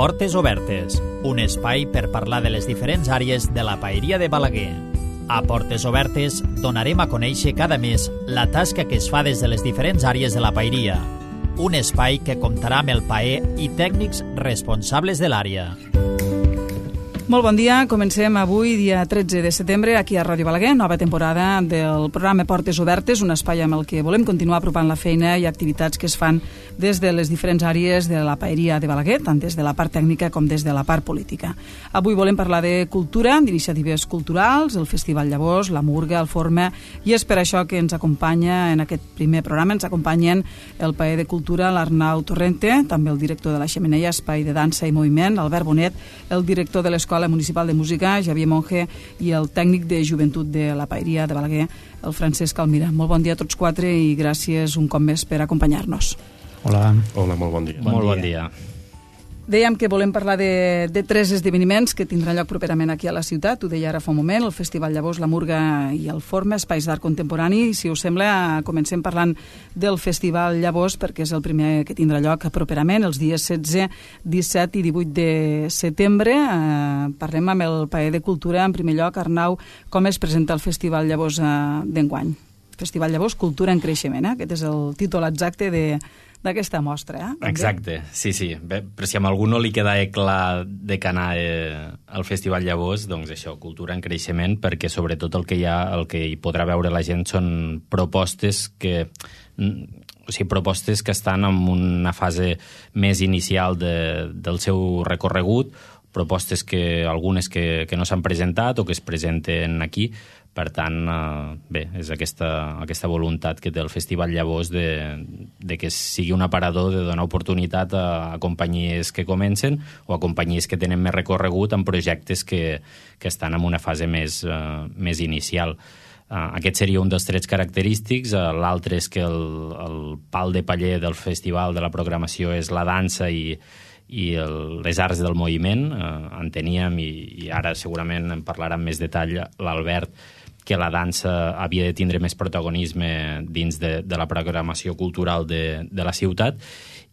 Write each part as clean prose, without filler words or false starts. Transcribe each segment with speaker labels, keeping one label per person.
Speaker 1: Portes Obertes, un espai per parlar de les diferents àrees de la paeria de Balaguer. A Portes Obertes donarem a conèixer cada mes la tasca que es fa des de les diferents àrees de la paeria. Un espai que comptarà amb el paer i tècnics responsables de l'àrea.
Speaker 2: Molt bon dia, comencem avui, dia 13 de setembre, aquí a Ràdio Balaguer, nova temporada del programa Portes Obertes, un espai amb el que volem continuar apropant la feina i activitats que es fan des de les diferents àrees de la paeria de Balaguer, tant des de la part tècnica com des de la part política. Avui volem parlar de cultura, d'iniciatives culturals, el Festival Llavors, la Murga, el Forma, i és per això que ens acompanya en aquest primer programa, ens acompanyen el paer de cultura, l'Arnau Torrente, també el director de la Xemeneia, espai de dansa i moviment, Albert Bonet, el director de l'Escola Municipal de Música, Javier Monge, i el tècnic de joventut de la paeria de Balaguer, el Francesc Almira. Molt bon dia a tots quatre i gràcies un cop més per acompanyar-nos.
Speaker 3: Hola.
Speaker 4: Hola, molt bon dia.
Speaker 3: Molt bon dia.
Speaker 2: Dèiem que volem parlar de tres esdeveniments que tindran lloc properament aquí a la ciutat. Ho deia ara fa un moment, el Festival Llavors, la Murga i el Forma, espais d'art contemporani. Si us sembla, comencem parlant del Festival Llavors, perquè és el primer que tindrà lloc properament, els dies 16, 17 i 18 de setembre. Parlem amb el paer de cultura. En primer lloc, Arnau, com es presenta el Festival Llavors d'enguany? Festival Llavors, Cultura en Creixement. Aquest és el títol exacte d'aquesta mostra.
Speaker 3: Exacte, sí. Bé, però si a algú no li queda clar de què anar al Festival Llavors, doncs això, cultura en creixement, perquè sobretot el que hi podrà veure la gent són propostes que estan en una fase més inicial del seu recorregut, propostes que algunes que no s'han presentat o que es presenten aquí. Per tant, bé, és aquesta voluntat que té el Festival Llavors de que sigui un aparador de donar oportunitat a companyies que comencen o a companyies que tenen més recorregut en projectes que estan en una fase més inicial. Aquest seria un dels trets característics. L'altre és que el pal de paller del festival, de la programació, és la dansa i les arts del moviment. Enteníem, i ara segurament en parlarà amb més detall l'Albert, que la dansa havia de tindre més protagonisme dins de la programació cultural de la ciutat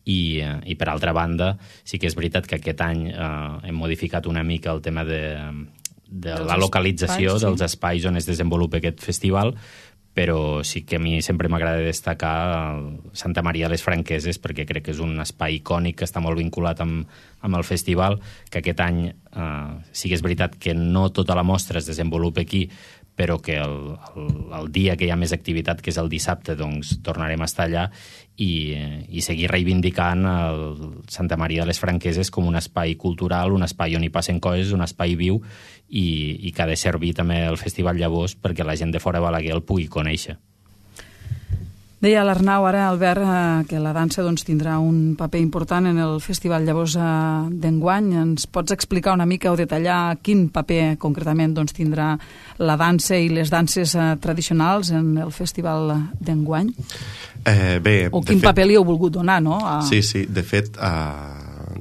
Speaker 3: i per altra banda sí que és veritat que aquest any hem modificat una mica el tema de la localització dels espais on es desenvolupa aquest festival, però sí que a mi sempre m'agrada destacar Santa Maria de les Franqueses, perquè crec que és un espai icònic que està molt vinculat amb el festival, que aquest any sí que és veritat que no tota la mostra es desenvolupa aquí, però que el dia que hi ha més activitat, que és el dissabte, doncs tornarem a estar allà i seguir reivindicant el Santa Maria de les Franqueses com un espai cultural, un espai on hi passen coses, un espai viu i que ha de servir també el Festival Llavors perquè la gent de fora de Balaguer el pugui conèixer.
Speaker 2: Deia l'Arnau ara, Albert, que la dansa tindrà un paper important en el Festival Llavors d'enguany. Ens pots explicar una mica o detallar quin paper concretament tindrà la dansa i les danses tradicionals en el Festival d'enguany? O quin paper li heu volgut donar, no?
Speaker 4: Sí, de fet,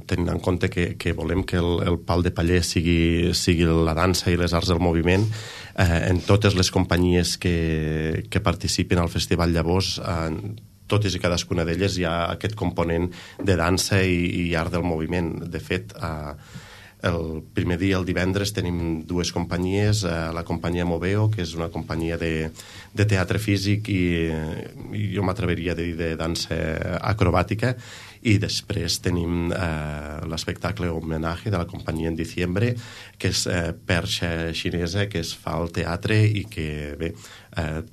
Speaker 4: tenint en compte que volem que el pal de paller sigui la dansa i les arts del moviment, en totes les companyies que participen al Festival Llavors, totes i cadascuna d'elles hi ha aquest component de dansa i art del moviment. De fet, el primer dia, el divendres, tenim dues companyies, la companyia Moveo, que és una companyia de teatre físic i jo m'atreviria a dir de dansa acrobàtica, i després tenim l'espectacle homenatge de la companyia En Diciembre, que és perxa xinesa que es fa al teatre i que, bé,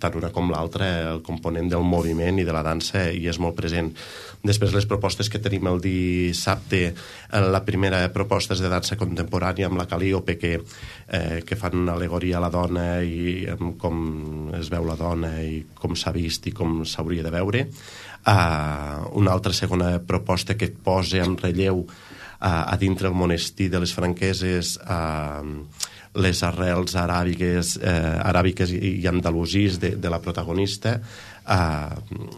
Speaker 4: tant una com l'altra, el component del moviment i de la dansa hi és molt present. Després, les propostes que tenim el dissabte, la primera proposta és de dansa contemporània amb la Calíope, que fan una al·legoria a la dona i com es veu la dona i com s'ha vist i com s'hauria de veure. Una altra segona proposta que et posa en relleu a dintre el monestir de les Franqueses les arrels aràbiques i andalusís de la protagonista,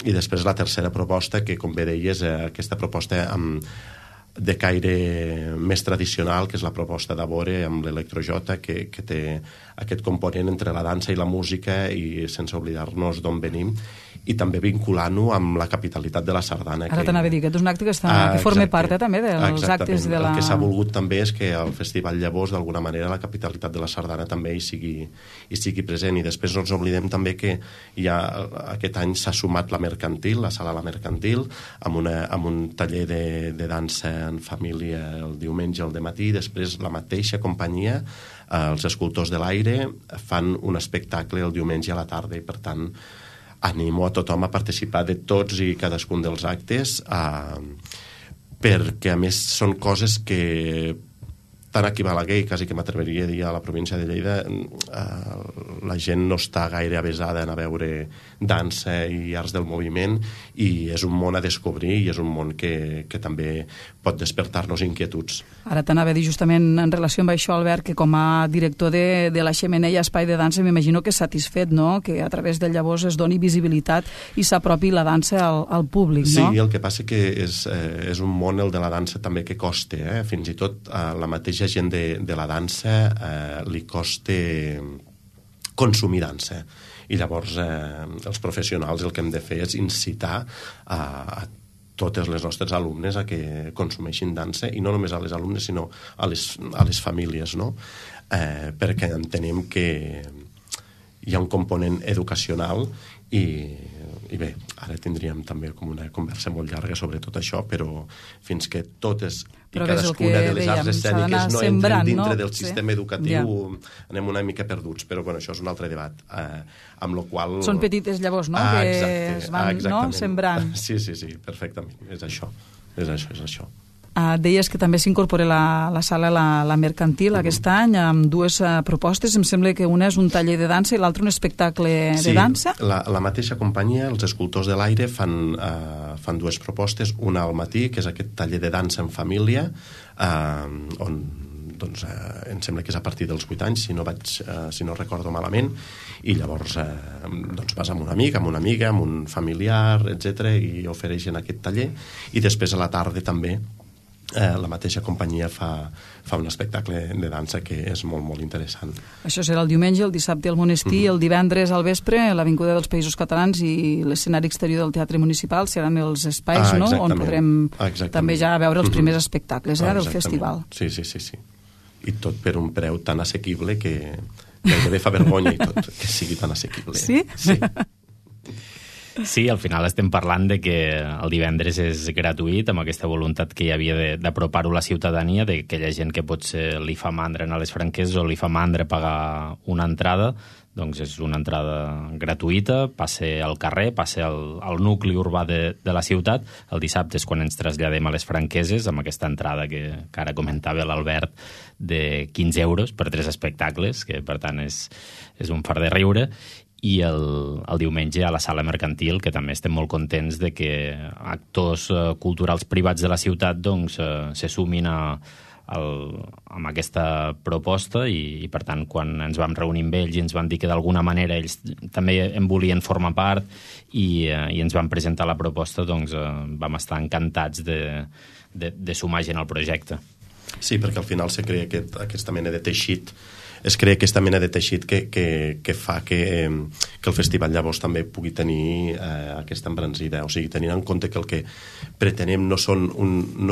Speaker 4: i després la tercera proposta, que com bé deies, aquesta proposta de caire més tradicional, que és la proposta d'Avore amb l'electrojota, que té aquest component entre la dansa i la música, i sense oblidar-nos d'on venim, i també vinculant-ho amb la capitalitat de la sardana.
Speaker 2: Ara t'anava a dir, aquest és un acte que forma part també dels actes de la...
Speaker 4: El que s'ha volgut també és que el Festival Llavors, d'alguna manera, la capitalitat de la sardana també hi sigui present. I després no ens oblidem també que aquest any s'ha sumat la mercantil, la sala La Mercantil, amb un taller de dansa en família el diumenge al dematí. Després la mateixa companyia, els Escultors de l'Aire, fan un espectacle el diumenge a la tarda, i per tant animo a tothom a participar de tots i cadascun dels actes, perquè a més són coses que tant aquí a Balaguer, quasi que m'atreviria a dir a la província de Lleida, la gent no està gaire avesada a veure dansa i arts del moviment, i és un món a descobrir, i és un món que també pot despertar-nos inquietuds.
Speaker 2: Ara t'anava a dir justament en relació amb això, Albert, que com a director de la Xemeneia Espai de Dansa m'imagino que és satisfet, no?, que a través del Llavors es doni visibilitat i s'apropi la dansa al públic, no?
Speaker 4: Sí, el que passa que és un món, el de la dansa, també que costa, fins i tot la mateixa gent de la dansa li costa consumir dansa, i llavors els professionals el que hem de fer és incitar a totes les nostres alumnes a que consumeixin dansa, i no només a les alumnes sinó a les famílies, no? Perquè entenem que hi ha un component educacional, i bé, ara tindríem també com una conversa molt llarga sobre tot això, però fins que totes i cadascuna de les arts escèniques no entren dintre del sistema educatiu, anem una mica perduts, però bueno, això és un altre debat, amb lo qual...
Speaker 2: Són petites llavors, no?, que es van sembrant.
Speaker 4: Sí, perfectament, és això.
Speaker 2: Deies que també s'incorpora la sala La Mercantil aquest any amb dues propostes. Em sembla que una és un taller de dansa i l'altra un espectacle de dansa.
Speaker 4: Sí, la mateixa companyia, els Escultors de l'Aire, fan dues propostes, una al matí, que és aquest taller de dansa en família, on doncs, em sembla que és a partir dels 8 anys, si no recordo malament, i llavors doncs vas amb un amic, amb una amiga, amb un familiar, etc, i ofereixen aquest taller, i després a la tarda també la mateixa companyia fa un espectacle de dansa que és molt, molt interessant.
Speaker 2: Això serà el diumenge, el dissabte al Monestir, el divendres al vespre a l'Avinguda dels Països Catalans, i l'escenari exterior del Teatre Municipal seran els espais, no?, on podrem també ja veure els primers espectacles del festival.
Speaker 4: Sí. I tot per un preu tan assequible que gairebé fa vergonya i tot, que sigui tan assequible.
Speaker 2: Sí?
Speaker 4: Sí.
Speaker 3: Sí, al final estem parlant de que el divendres és gratuït, amb aquesta voluntat que hi havia d'apropar-ho a la ciutadania, d'aquella gent que potser li fa mandra anar a les franqueses o li fa mandra pagar una entrada, doncs és una entrada gratuïta, passe al carrer, passe al nucli urbà de la ciutat. El dissabte és quan ens traslladem a les franqueses, amb aquesta entrada que ara comentava l'Albert, de 15 euros per 3 espectacles, que per tant és un fart de riure. I el diumenge a la Sala Mercantil, que també estem molt contents de que actors culturals privats de la ciutat doncs, se sumin amb aquesta proposta, i per tant quan ens vam reunir amb ells i ens van dir que d'alguna manera ells també en volien formar part i ens van presentar la proposta, doncs vam estar encantats de sumar gent al projecte.
Speaker 4: Sí, perquè al final se crea aquesta mena de teixit, es crea aquesta mena de teixit que fa que el festival llavors també pugui tenir aquesta embranzida. O sigui, tenint en compte que el que pretenem no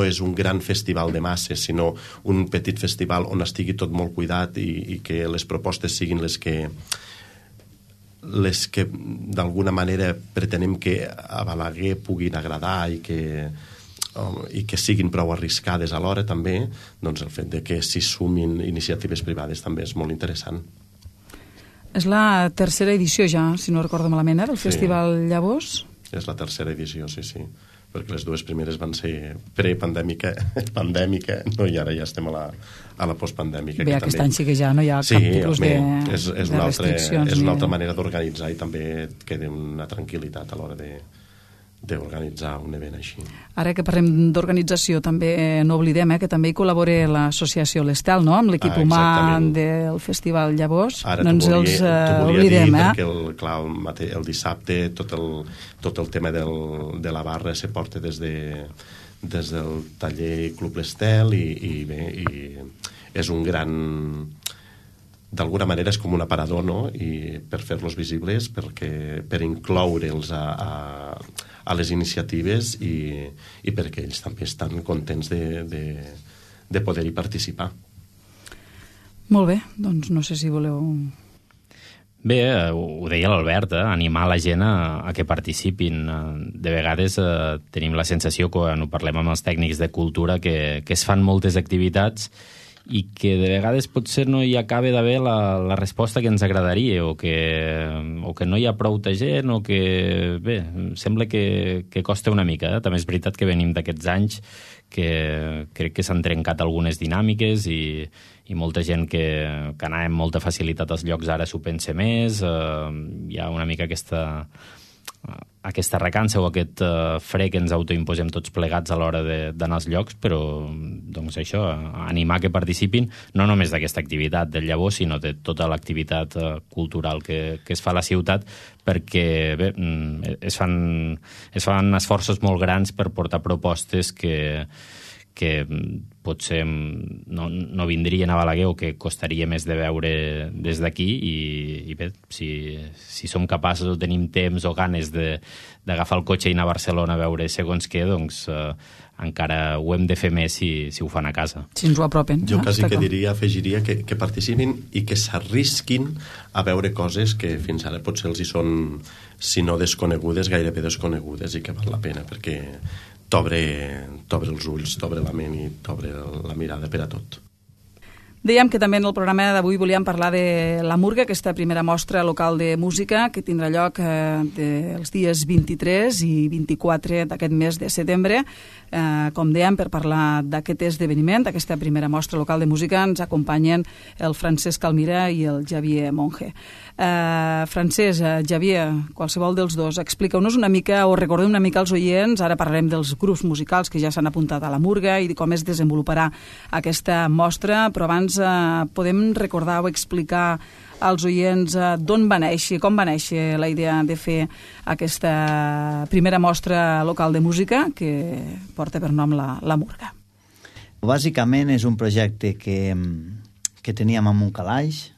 Speaker 4: és un gran festival de masses, sinó un petit festival on estigui tot molt cuidat i que les propostes siguin les que d'alguna manera pretenem que a Balaguer puguin agradar i que siguin prou arriscades alhora també, doncs el fet de que s'hi sumin iniciatives privades també és molt interessant.
Speaker 2: És la tercera edició ja, si no recordo malament, del Festival Llavors?
Speaker 4: És la tercera edició, sí, perquè les dues primeres van ser prepandèmica, pandèmica, no, i ara ja estem a la postpandèmica.
Speaker 2: Bé, aquest any sí que ja no hi ha cap tipus de restriccions.
Speaker 4: És una altra manera d'organitzar i també queda una tranquil·litat a l'hora d'organitzar un event així.
Speaker 2: Ara que parlem d'organització, també no oblidem que també hi col·labora l'associació L'Estel, no?, amb l'equip humà del Festival Llavors.
Speaker 4: Ara no ens els oblidem, perquè el dissabte tot el tema de la barra se porta des taller Club l'Estel i és un gran... D'alguna manera és com un aparador, no? I per fer-los visibles, per incloure'ls a les iniciatives i perquè ells també estan contents de poder-hi participar.
Speaker 2: Molt bé, doncs no sé si voleu...
Speaker 3: Bé, ho deia l'Albert, animar la gent a que participin. De vegades tenim la sensació, quan ho parlem amb els tècnics de cultura, que es fan moltes activitats i que de vegades potser no hi acaba d'haver la resposta que ens agradaria o que no hi ha prou gent o que, bé, sembla que costa una mica. També és veritat que venim d'aquests anys que crec que s'han trencat algunes dinàmiques i molta gent que anava amb molta facilitat als llocs ara s'ho pensa més. Hi ha una mica aquesta recança o aquest fre que ens autoimposem tots plegats a l'hora d'anar als llocs, però doncs això, animar que participin no només d'aquesta activitat del llavor, sinó de tota l'activitat cultural que es fa a la ciutat, perquè bé, es fan esforços molt grans per portar propostes que potser no vindrien a Balaguer o que costaria més de veure des d'aquí i bé, si som capaços o tenim temps o ganes d'agafar el cotxe i anar a Barcelona a veure segons què, doncs encara ho hem de fer més si ho fan a casa.
Speaker 2: Si ens ho apropen.
Speaker 4: Jo quasi que afegiria que participin i que s'arrisquin a veure coses que fins ara potser els hi són, si no desconegudes, gairebé desconegudes, i que val la pena, perquè t'obre els ulls, t'obre la ment i t'obre la mirada per a tot.
Speaker 2: Dèiem que també en el programa d'avui volíem parlar de la Murga, aquesta primera mostra local de música que tindrà lloc els dies 23 i 24 d'aquest mes de setembre. Com dèiem, per parlar d'aquest esdeveniment, d'aquesta primera mostra local de música, ens acompanyen el Francesc Almira i el Xavier Monge. Francesc, Xavier, qualsevol dels dos, expliqueu-nos una mica o recordeu una mica als oients, ara parlarem dels grups musicals que ja s'han apuntat a la Murga i de com es desenvoluparà aquesta mostra, però abans podem recordar o explicar als oients d'on va néixer, com va néixer la idea de fer aquesta primera mostra local de música que porta per nom la Murga.
Speaker 5: Bàsicament és un projecte que teníem en un calaix,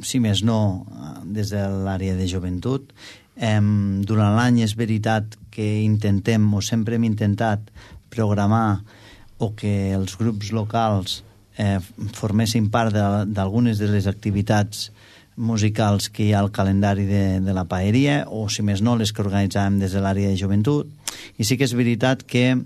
Speaker 5: si més no des de l'àrea de joventut. Durant l'any és veritat que intentem, o sempre hem intentat, programar o que els grups locals formessin part d'algunes de les activitats musicals que hi ha al calendari de la paeria, o si més no les que organitzàvem des de l'àrea de joventut. I sí que és veritat que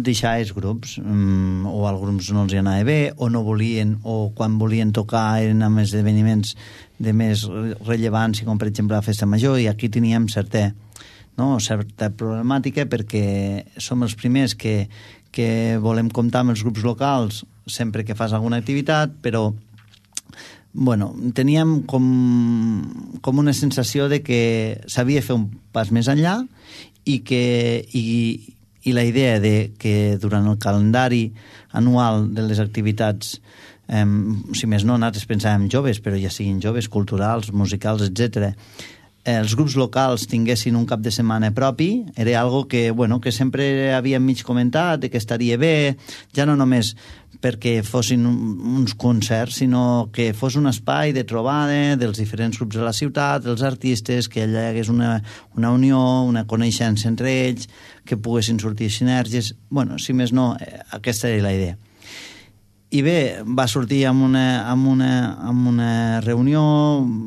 Speaker 5: deixar els grups, o als grups no els anava bé, o no volien, o quan volien tocar eren amb esdeveniments de més rellevància, com per exemple la festa major, i aquí teníem certa problemàtica perquè som els primers que volem comptar amb els grups locals sempre que fas alguna activitat, però teníem com una sensació de que s'havia de fer un pas més enllà i la idea de que durant el calendari anual de les activitats, si més no, nosaltres pensàvem joves, però ja siguin joves, culturals, musicals, etc., els grups locals tinguessin un cap de setmana propi, era algo que sempre havíem mig comentat, que estaria bé, ja no només perquè fossin uns concerts, sinó que fos un espai de trobada dels diferents grups de la ciutat, dels artistes, que allà hi hagués una unió, una coneixença entre ells, que poguessin sortir sinergies. Si més no, aquesta era la idea. I bé, va sortir amb una reunió,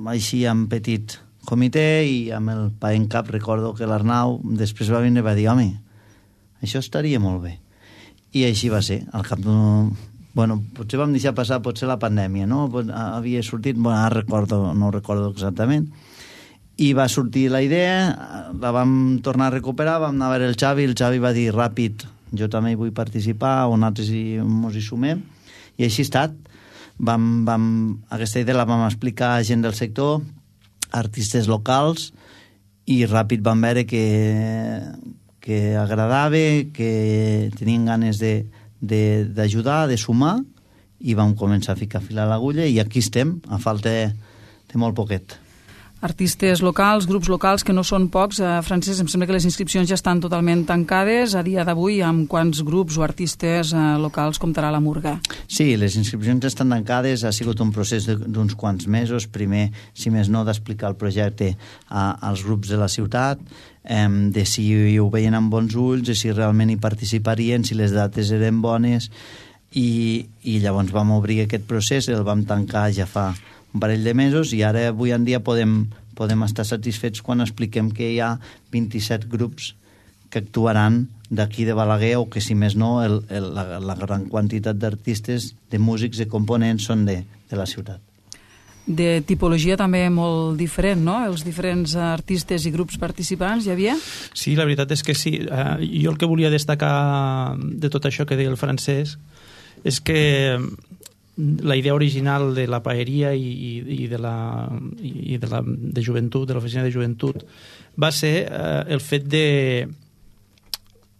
Speaker 5: així amb petit comitè, i amb el pa en cap recordo que l'Arnau després va venir i va dir: home, això estaria molt bé. I així va ser. Al cap d'un... potser vam deixar passar la pandèmia, no? Havia sortit, no recordo exactament, i va sortir la idea, la vam tornar a recuperar, vam anar a veure el Xavi va dir ràpid: jo també hi vull participar, o nosaltres ens hi sumem, i així ha estat. Aquesta idea la vam explicar a gent del sector, artistes locals, i ràpid vam veure que agradava, que tenien ganes d'ajudar, de sumar, i vam començar a ficar fil a l'agulla, i aquí estem, a falta de molt poquet.
Speaker 2: artistes locals, grups locals, que no són pocs. Francesc, em sembla que les inscripcions ja estan totalment tancades. A dia d'avui, amb quants grups o artistes locals comptarà la Murga?
Speaker 5: Sí, les inscripcions estan tancades. Ha sigut un procés d'uns quants mesos. Primer, si més no, d'explicar el projecte als grups de la ciutat, de si ho veien amb bons ulls, de si realment hi participarien, si les dates eren bones, i llavors vam obrir aquest procés, el vam tancar ja fa un parell de mesos, i ara avui en dia podem estar satisfets quan expliquem que hi ha 27 grups que actuaran d'aquí de Balaguer, o que si més no la gran quantitat d'artistes, de músics, de components són de la ciutat.
Speaker 2: De tipologia també molt diferent, no? Els diferents artistes i grups participants, hi havia?
Speaker 6: Sí, la veritat és que sí. Jo el que volia destacar de tot això que deia el Francesc és que la idea original de la paeria i de joventut, de l'oficina de joventut, va ser el fet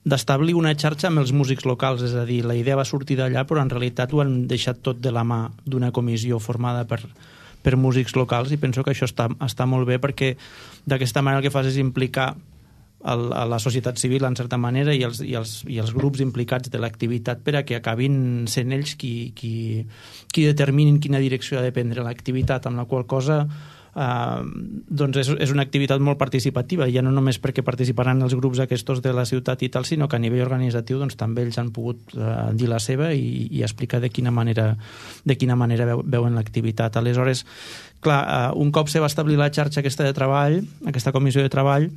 Speaker 6: d'establir una xarxa amb els músics locals. És a dir, la idea va sortir d'allà, però en realitat ho han deixat tot de la mà d'una comissió formada per músics locals, i penso que això està molt bé, perquè d'aquesta manera el que fas és implicar a la societat civil, en certa manera, i els grups implicats de l'activitat, per a que acabin sent ells qui determinin quina direcció ha de prendre l'activitat, amb la qual cosa doncs és una activitat molt participativa, ja no només perquè participaran els grups aquests de la ciutat i tal, sinó que a nivell organitzatiu doncs, també ells han pogut dir la seva i explicar de quina manera veuen l'activitat. Aleshores, clar, un cop se va establir la xarxa aquesta de treball, aquesta comissió de treball,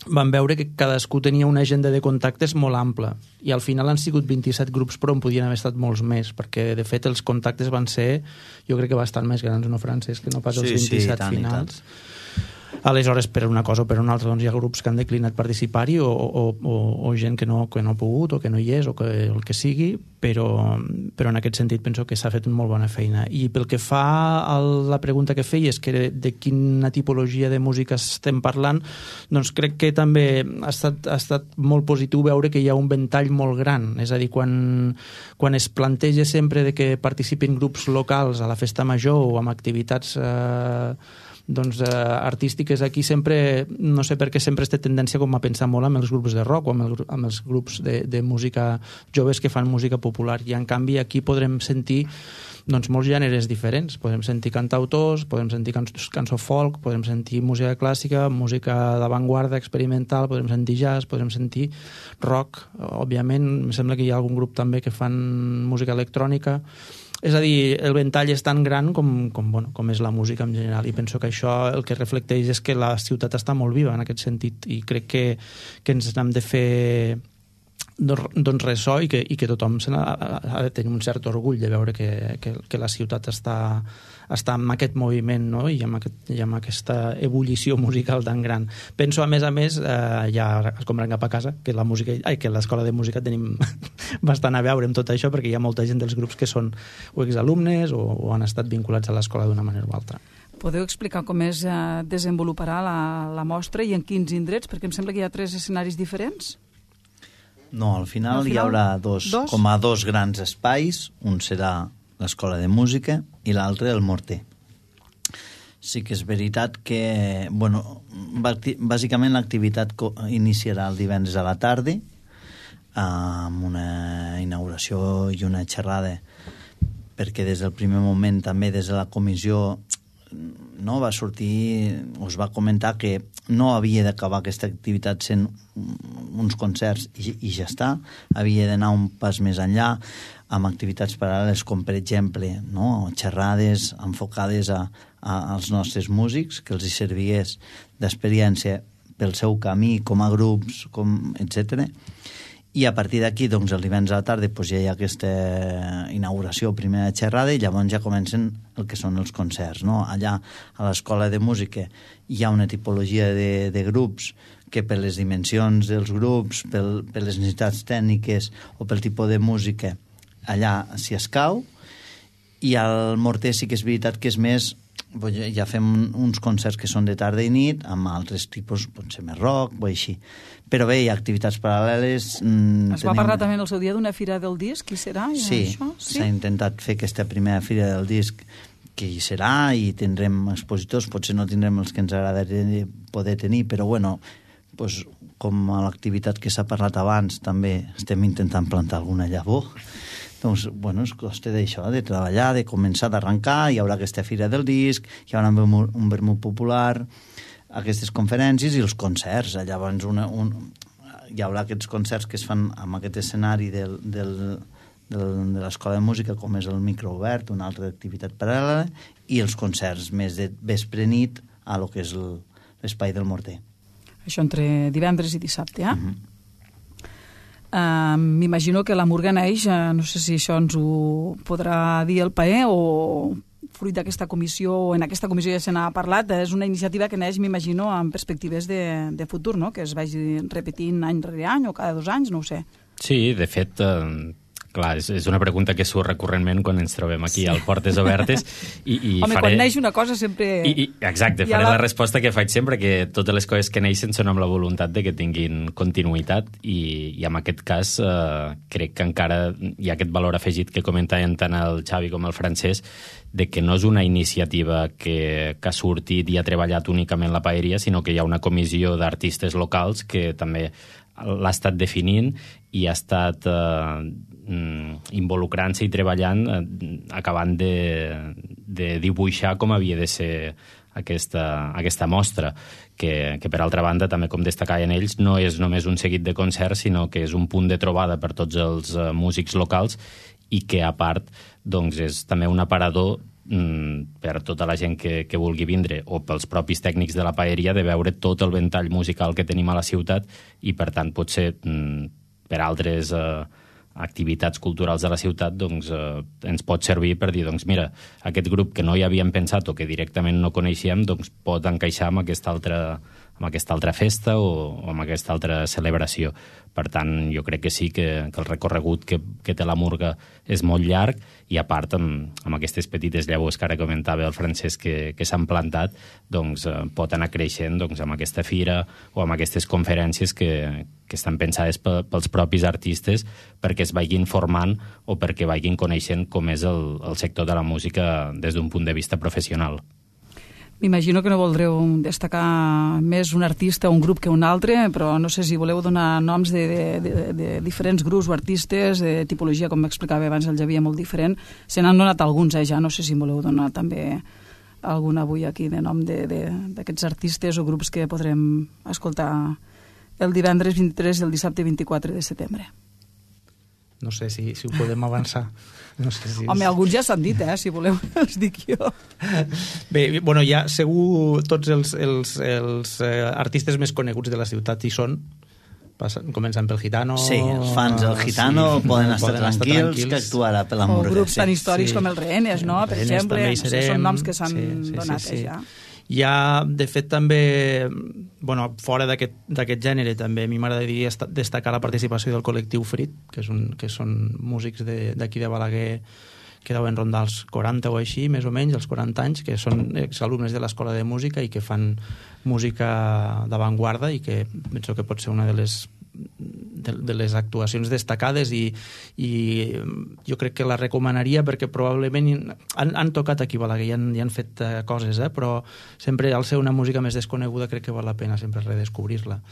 Speaker 6: van veure que cadascú tenia una agenda de contactes molt ampla, i al final han sigut 27 grups, però en podien haver estat molts més, perquè de fet els contactes van ser, jo crec que bastant més grans, no, Francesc, que no pas els 27 finals. Aleshores, per una cosa o per una altra, doncs hi ha grups que han declinat participar-hi, o gent que no ha pogut, o que no hi és, o que el que sigui, però en aquest sentit penso que s'ha fet una molt bona feina. I pel que fa a la pregunta que feies, que de quina tipologia de música estem parlant, doncs crec que també ha estat molt positiu veure que hi ha un ventall molt gran. És a dir, quan es planteja sempre de que participin grups locals a la festa major o amb activitats artístiques, aquí sempre, no sé per què sempre es té tendència com a pensar molt amb els grups de rock o amb els grups de música joves que fan música popular, i en canvi aquí podrem sentir doncs molts gèneres diferents. Podem sentir cantautors, podem sentir cançó folk, podem sentir música clàssica, música d'avantguarda experimental, podem sentir jazz, podem sentir rock, òbviament. Em sembla que hi ha algun grup també que fan música electrònica. És a dir, el ventall és tan gran com és la música en general, i penso que això el que reflecteix és que la ciutat està molt viva en aquest sentit, i crec que ens n'hem de fer doncs ressò, i que tothom ha de tenir un cert orgull de veure que la ciutat està en aquest moviment, no? I amb aquesta ebullició musical tan gran. Penso, a més, ja escombrant cap a casa, que l'escola de música tenim bastant a veure amb tot això, perquè hi ha molta gent dels grups que són o exalumnes o han estat vinculats a l'escola d'una manera o altra.
Speaker 2: Podeu explicar com es desenvoluparà la mostra i en quins indrets? Perquè em sembla que hi ha 3 escenaris diferents.
Speaker 5: No, al final hi haurà dos grans espais. Un serà l'escola de música i l'altre el Morter. Sí que és veritat que, bàsicament l'activitat iniciarà el divendres a la tarda amb una inauguració i una xerrada, perquè des del primer moment també des de la comissió va sortir, us va comentar que no havia d'acabar aquesta activitat sent uns concerts i ja està, havia d'anar un pas més enllà amb activitats paral·leles com per exemple xerrades enfocades als nostres músics, que els hi servigués d'experiència pel seu camí com a grups, etc. I a partir d'aquí, doncs, el divendres a la tarda ja hi ha aquesta inauguració, primera xerrada, i llavors ja comencen el que són els concerts. Allà, a l'escola de música, hi ha una tipologia de grups que per les dimensions dels grups, per les necessitats tècniques o pel tipus de música, allà s'hi escau, i al Morter sí que és veritat que és més, ja fem uns concerts que són de tarda i nit, amb altres tipus, potser més rock o així. Però bé, hi ha activitats paral·leles.
Speaker 2: Es va parlar també en el seu dia d'una fira del disc, qui serà?
Speaker 5: Sí, s'ha intentat fer aquesta primera fira del disc, que hi serà i tindrem expositors, potser no tindrem els que ens agradaria poder tenir, però bueno, pues, com a l'activitat que s'ha parlat abans, també estem intentant plantar alguna llavor. Doncs, bueno, es costa d'això, de treballar, de començar, d'arrencar, hi haurà aquesta fira del disc, hi haurà un vermut popular, aquestes conferències i els concerts. Llavors hi haurà aquests concerts que es fan amb aquest escenari de l'Escola de Música, com és el micro obert, una altra activitat paral·lela, i els concerts més de vespre-nit a lo que és l'Espai del Morter.
Speaker 2: Això entre divendres i dissabte, m'imagino que la Murga neix, no sé si això ens ho podrà dir el PAE o fruit d'aquesta comissió, o en aquesta comissió ja se n'ha parlat, és una iniciativa que neix, m'imagino, amb perspectives de futur, no? Que es vagi repetint any rere any o cada 2 anys, no ho sé.
Speaker 3: Sí, de fet, clar, és una pregunta que surt recurrentment quan ens trobem aquí al Portes Obertes.
Speaker 2: Home, quan neix una cosa sempre...
Speaker 3: Exacte, faré la resposta que faig sempre, que totes les coses que neixen són amb la voluntat de que tinguin continuïtat i en aquest cas crec que encara hi ha aquest valor afegit que comentaven tant el Xavi com el Francesc, de que no és una iniciativa que ha sortit i ha treballat únicament la paeria, sinó que hi ha una comissió d'artistes locals que també l'ha estat definint i ha estat involucrant-se i treballant, acabant de dibuixar com havia de ser aquesta mostra, que per altra banda, també com destacaven ells, no és només un seguit de concerts, sinó que és un punt de trobada per tots els músics locals i que, a part, doncs, és també un aparador per tota la gent que vulgui vindre o pels propis tècnics de la paeria de veure tot el ventall musical que tenim a la ciutat i, per tant, potser per altres activitats culturals de la ciutat doncs, ens pot servir per dir, doncs mira, aquest grup que no hi havíem pensat o que directament no coneixíem doncs pot encaixar amb aquesta altra festa o amb aquesta altra celebració. Per tant, jo crec que sí que el recorregut que té la Murga és molt llarg i, a part, amb aquestes petites llavors que ara comentava el Francesc que s'han plantat, doncs pot anar creixent doncs, amb aquesta fira o amb aquestes conferències que estan pensades pels propis artistes perquè es vagin formant o perquè vagin coneixent com és el sector de la música des d'un punt de vista professional.
Speaker 2: M'imagino que no voldreu destacar més un artista o un grup que un altre, però no sé si voleu donar noms de diferents grups o artistes, de tipologia, com m'explicava abans el Javier, molt diferent. Se n'han donat alguns, ja no sé si voleu donar també algun avui aquí de nom d'aquests artistes o grups que podrem escoltar el divendres 23 i el dissabte 24 de setembre.
Speaker 6: No sé si ho podem avançar. No sé si
Speaker 2: Home, alguns ja s'han dit, si voleu, els dic jo.
Speaker 6: Bé, bueno, ja segur tots els artistes més coneguts de la ciutat hi són. Començant pel Gitano.
Speaker 5: Sí, els fans del Gitano poden estar tranquils que actuarà per la Murga.
Speaker 2: O grups tan històrics com els Rehenes, no? Per exemple, són noms que s'han donat ja.
Speaker 6: Hi ha, de fet, també, bueno, fora d'aquest gènere, també a mi m'agradaria destacar la participació del col·lectiu Frit, que són músics d'aquí de Balaguer que deuen rondar els 40 o així, més o menys, els 40 anys, que són exalumnes de l'Escola de Música i que fan música d'avantguarda i que penso que pot ser una de les actuacions destacades i jo crec que la recomanaria perquè probablement han tocat aquí a Balaguer i han fet coses, però sempre al ser una música més desconeguda crec que val la pena sempre redescobrir-la.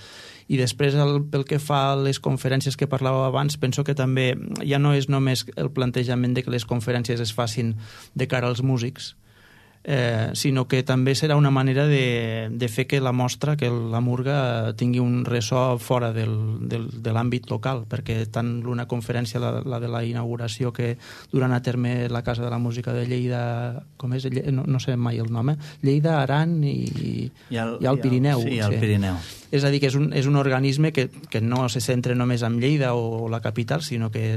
Speaker 6: I després pel que fa a les conferències que parlàveu abans, penso que també ja no és només el plantejament de que les conferències es facin de cara als músics, sinó que també serà una manera de fer que la mostra, que la Murga tingui un ressò fora de l'àmbit local, perquè tant una conferència, la de la inauguració que duran a terme la Casa de la Música de Lleida, com és? No sé mai el nom, Lleida, Aran i el Pirineu.
Speaker 5: Sí, el Pirineu.
Speaker 6: És a dir, que és un organisme que no se centra només en Lleida o la capital, sinó que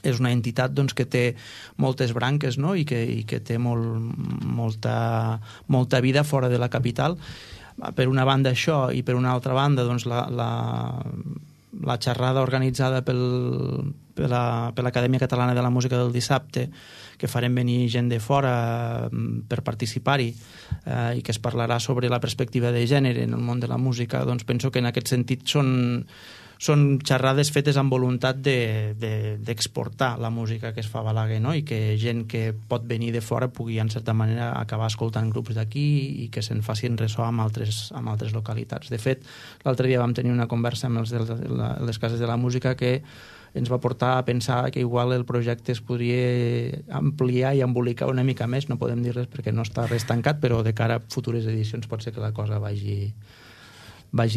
Speaker 6: és una entitat doncs, que té moltes branques, no? I que té molta vida fora de la capital. Per una banda això, i per una altra banda doncs, la xerrada organitzada per l'Acadèmia Catalana de la Música del dissabte, que farem venir gent de fora per participar-hi i que es parlarà sobre la perspectiva de gènere en el món de la música, doncs penso que en aquest sentit són són xerrades fetes amb voluntat d'exportar la música que es fa a Balaguer, no? I que gent que pot venir de fora pugui, en certa manera, acabar escoltant grups d'aquí i que se'n facin ressò amb altres localitats. De fet, l'altre dia vam tenir una conversa amb els de les cases de la música que ens va portar a pensar que igual el projecte es podria ampliar i embolicar una mica més. No podem dir res perquè no està res tancat, però de cara a futures edicions pot ser que la cosa vagi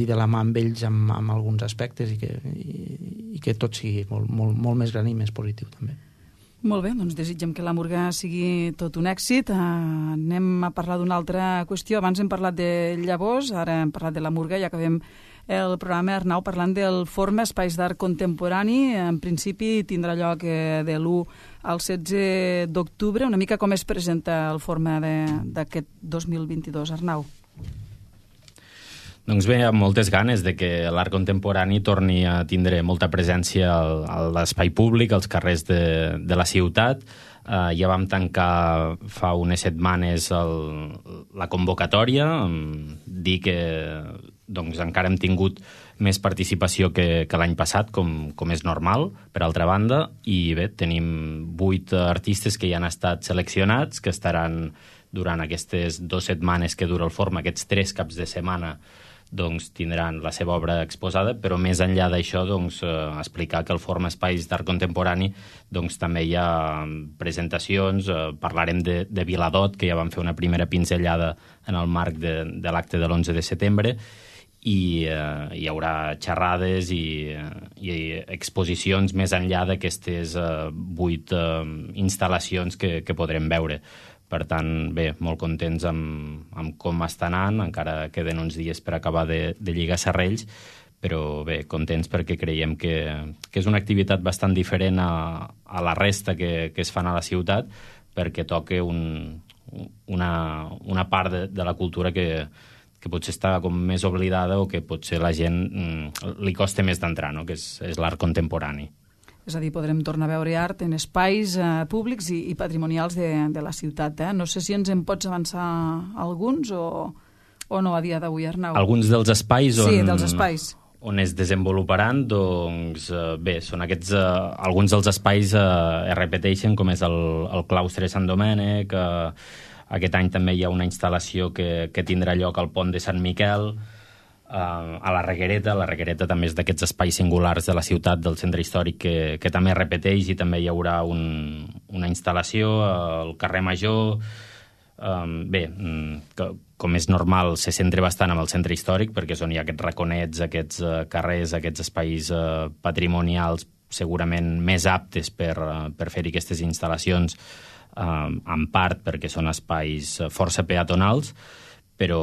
Speaker 6: de la mà amb ells amb alguns aspectes i que tot sigui molt més gran i més positiu també.
Speaker 2: Molt bé, doncs desitgem que la Murga sigui tot un èxit. Anem a parlar d'una altra qüestió. Abans hem parlat de llavors, ara hem parlat de la Murga i acabem el programa, Arnau, parlant del Forma Espais d'Art Contemporani. En principi tindrà lloc de l'1 al 16 d'octubre. Una mica com es presenta el Forma d'aquest 2022, Arnau?
Speaker 3: Doncs bé, amb moltes ganes de que l'art contemporani torni a tindre molta presència a l'espai públic, als carrers de la ciutat. Ja vam tancar fa unes setmanes la convocatòria, dir que doncs, encara hem tingut més participació que l'any passat, com és normal, per altra banda, i bé, tenim 8 artistes que ja han estat seleccionats, que estaran durant aquestes 2 setmanes que dura el Forma, aquests 3 caps de setmana, doncs tindran la seva obra exposada, però més enllà d'això doncs, explicar que el Forma Espais d'Art Contemporani doncs, també hi ha presentacions, parlarem de Viladot, que ja vam fer una primera pinzellada en el marc de l'acte de l'11 de setembre, i hi haurà xerrades i exposicions més enllà d'aquestes 8 instal·lacions que podrem veure. Per tant, bé, molt contents amb com està anant, encara queden uns dies per acabar de lligar serrells, però bé, contents perquè creiem que és una activitat bastant diferent a la resta que es fan a la ciutat, perquè toca una part de la cultura que potser està com més oblidada o que potser la gent li costa més d'entrar, no? Que és l'art contemporani.
Speaker 2: És a dir, podrem tornar a veure art en espais públics i patrimonials de la ciutat. No sé si ens en pots avançar alguns o no a dia d'avui, Arnau.
Speaker 3: Alguns dels espais
Speaker 2: Sí, dels espais.
Speaker 3: On es desenvoluparan, doncs bé, són aquests, alguns dels espais es repeteixen, com és el claustre Sant Domènec, aquest any també hi ha una instal·lació que tindrà lloc al pont de Sant Miquel, a la Reguereta també és d'aquests espais singulars de la ciutat, del centre històric, que també repeteix, i també hi haurà una instal·lació al carrer Major. Bé, com és normal, se centra bastant en el centre històric, perquè és on hi ha aquests raconets, aquests carrers, aquests espais patrimonials segurament més aptes per fer-hi aquestes instal·lacions, en part perquè són espais força peatonals, però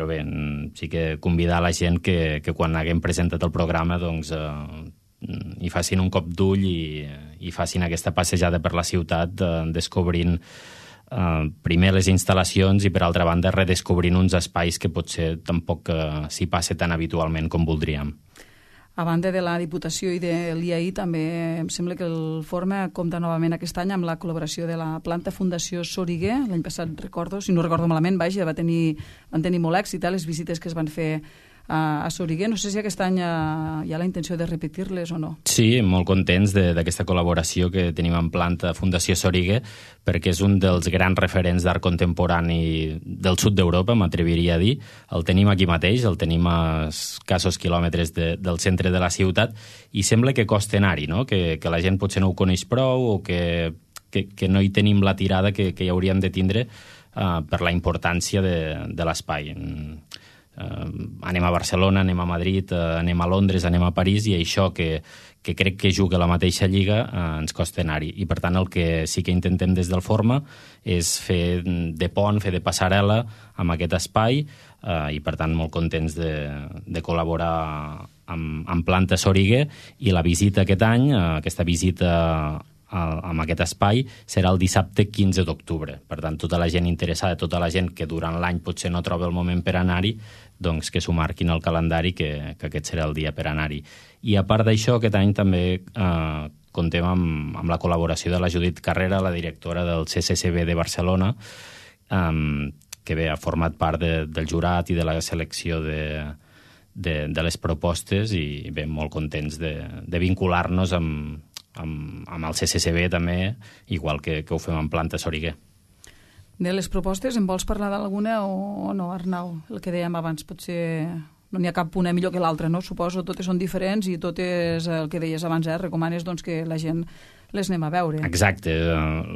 Speaker 3: bé, sí que convidar la gent que quan haguem presentat el programa doncs hi facin un cop d'ull i facin aquesta passejada per la ciutat, descobrint primer les instal·lacions i per altra banda redescobrint uns espais que potser tampoc s'hi passa tan habitualment com voldríem.
Speaker 2: A banda de la Diputació i de l'IAI, també em sembla que el Forma compta novament aquest any amb la col·laboració de la Planta Fundació Soriguer. L'any passat, recordo, si no recordo malament, van tenir molt èxit les visites que es van fer a Soriguer. No sé si aquest any hi ha la intenció de repetir-les o no.
Speaker 3: Sí, molt contents d'aquesta col·laboració que tenim amb Planta Fundació Soriguer, perquè és un dels grans referents d'art contemporani del sud d'Europa, m'atreviria a dir. El tenim aquí mateix, el tenim a escassos quilòmetres del centre de la ciutat, i sembla que costa anar-hi, no? Que la gent potser no ho coneix prou o que no hi tenim la tirada que hi hauríem de tindre per la importància de l'espai. Anem a Barcelona, anem a Madrid, anem a Londres, anem a París, i això que crec que juga la mateixa lliga ens costa anar-hi. I per tant el que sí que intentem des del Forma és fer de pont, fer de passarel·la amb aquest espai, i per tant molt contents de col·laborar amb Planta Soriguer, i la visita aquest any, aquesta visita amb aquest espai, serà el dissabte 15 d'octubre. Per tant, tota la gent interessada, tota la gent que durant l'any potser no troba el moment per anar-hi, doncs que s'ho marquin al calendari, que aquest serà el dia per anar-hi. I a part d'això, aquest any també comptem amb la col·laboració de la Judit Carrera, la directora del CCCB de Barcelona, que bé, ha format part del jurat i de la selecció de les propostes i bé, molt contents de vincular-nos amb el CCCB també, igual que ho fem en Planta Soriguer.
Speaker 2: De les propostes, en vols parlar d'alguna o no, Arnau? El que dèiem abans, potser no n'hi ha cap una millor que l'altra, no? Suposo, totes són diferents i totes, el que deies abans, recomanes doncs, que la gent les anem a veure.
Speaker 3: Exacte.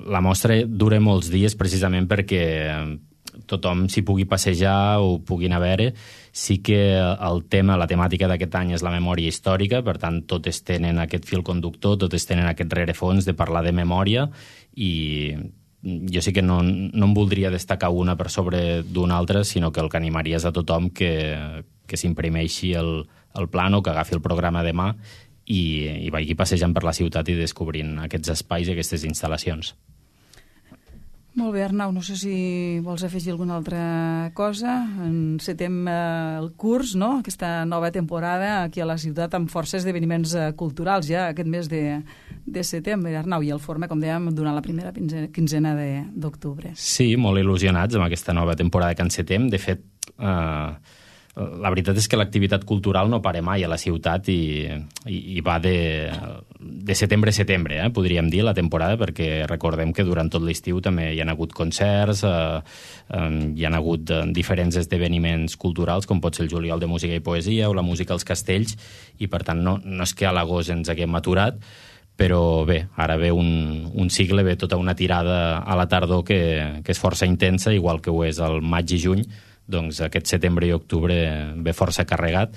Speaker 3: La mostra dura molts dies precisament perquè tothom s'hi pugui passejar o pugui anar a veure. Sí que la temàtica d'aquest any és la memòria històrica, per tant, totes tenen aquest fil conductor, totes tenen aquest rerefons de parlar de memòria i jo sí que no em voldria destacar una per sobre d'una altra, sinó que el que animaria és a tothom que s'imprimeixi el plano, que agafi el programa de mà i vagi passejant per la ciutat i descobrint aquests espais i aquestes instal·lacions.
Speaker 2: Molt bé, Arnau, no sé si vols afegir alguna altra cosa. Encetem el curs, no?, aquesta nova temporada aquí a la ciutat amb força esdeveniments culturals ja aquest mes de setembre, Arnau, i el forma, com dèiem, durant la primera quinzena d'octubre.
Speaker 3: Sí, molt il·lusionats amb aquesta nova temporada que encetem. De fet, la veritat és que l'activitat cultural no para mai a la ciutat i va de setembre a setembre, podríem dir, la temporada, perquè recordem que durant tot l'estiu també hi ha hagut concerts, hi ha hagut diferents esdeveniments culturals, com pot ser el juliol de música i poesia o la música als castells, i per tant no és que a l'agost ens haguem aturat, però bé, ara ve un cicle, ve tota una tirada a la tardor que és força intensa, igual que ho és el maig i juny. Doncs aquest setembre i octubre ve força carregat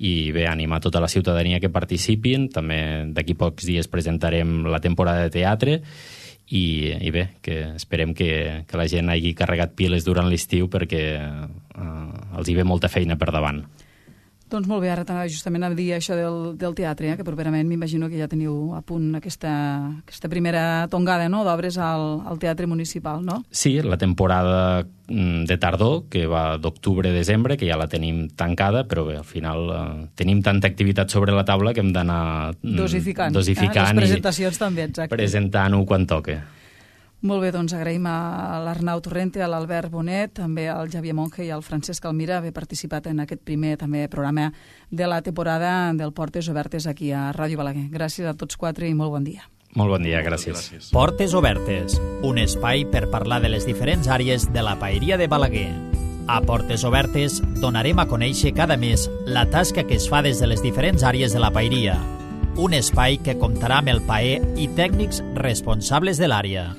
Speaker 3: i bé, animar tota la ciutadania que participin. També d'aquí pocs dies presentarem la temporada de teatre i bé, que esperem que la gent hagi carregat piles durant l'estiu perquè els hi ve molta feina per davant.
Speaker 2: Doncs molt bé, ara justament a dir això del teatre, que properament m'imagino que ja teniu a punt aquesta primera tongada, no?, d'obres al Teatre Municipal, no?
Speaker 3: Sí, la temporada de tardor, que va d'octubre a desembre, que ja la tenim tancada, però bé, al final tenim tanta activitat sobre la taula que hem d'anar dosificant
Speaker 2: les presentacions també, exacte.
Speaker 3: Presentant-ho quan toque.
Speaker 2: Molt bé, doncs agraïm a l'Arnau Torrente, a l'Albert Bonet, també al Xavier Monge i al Francesc Almira haver participat en aquest primer també programa de la temporada del Portes Obertes aquí a Ràdio Balaguer. Gràcies a tots quatre i molt bon dia.
Speaker 3: Molt bon dia, gràcies.
Speaker 1: Portes Obertes, un espai per parlar de les diferents àrees de la paeria de Balaguer. A Portes Obertes donarem a conèixer cada mes la tasca que es fa des de les diferents àrees de la paeria. Un espai que comptarà amb el paer i tècnics responsables de l'àrea.